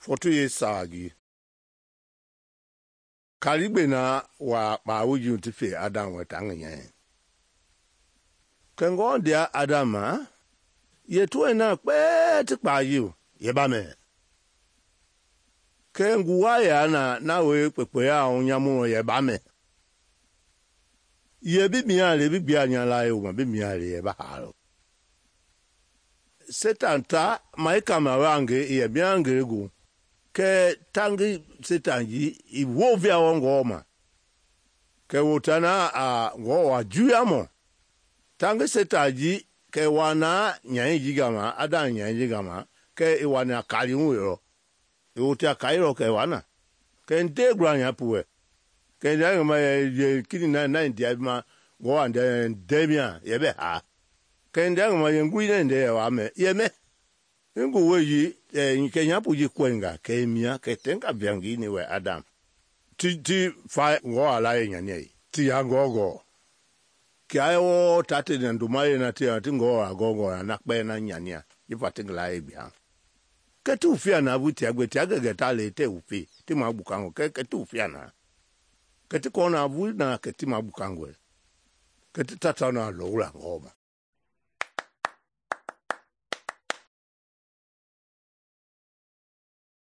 Foto ye sagi. Kaligbe na wa bawuji ti fe Adam wa tangnya. Kengo dia Adama ye tuwe na kpe ti kpayu ye ba me. Kenguwa ya na we kpe ya onyamu ye ba me. Ye bi mia le bi bia nya la yo ma bi mia le ye ba halo. Satan ta maika mawange ye biange gu. Ke tangi Satan ji I wo via ngoma. Ke wotana a ngowa juyamo. Tangi Satan ji ke wana nyai jigama ada nyai jigama ke iwana kalimu yo. Wotia kairo ke wana. Ke nte granya puwe. Ke nyama ye kini na ndia ma ngowa ndemia yebe ha. Ke ndanga ye ngui nde wa me ye me. Ngo weji nke nyapu ji kwenga ke mia ke tenga biangi ni we Adam. Ti fa ngo ala ye nyane. Ti ya gogo. Ki ayo tate nduma ye na ti ngo agogo na kpe na nyania. Ifa tingla ye bia. Ke tu fia na buti agwe ti agege ta le te ufi. Ti ma bukango ke tu fia na. Ke ti kona bu na ke ti ma bukango. Ke ti tata na lo la ngoma.